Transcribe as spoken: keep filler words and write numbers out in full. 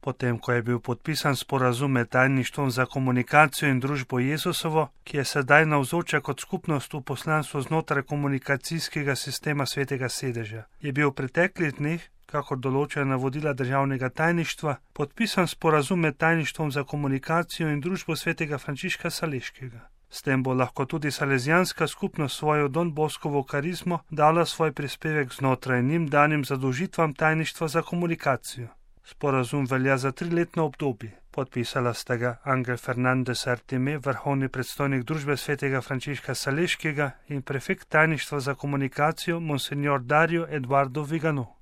Potem, ko je bil podpisan sporazum med tajništvom za komunikacijo in družbo Jezusovo, ki je sedaj navzoča kot skupnost v poslanstvu znotraj komunikacijskega sistema Svetega sedeža, je bil v preteklih dneh, kakor določajo navodila državnega tajništva, podpisan sporazum med tajništvom za komunikacijo in družbo svetega Frančiška Saleškega. S tem bo lahko tudi salezijanska skupnost svojo Don Boskovo karizmo dala svoj prispevek znotraj njim danim zadolžitvam tajništva za komunikacijo. Sporazum velja za triletno obdobje. Podpisala sta ga Angel Fernandez Artime, vrhovni predstojnik družbe svetega Frančiška Saleškega, in prefekt tajništva za komunikacijo Monsignor Dario Eduardo Vigano.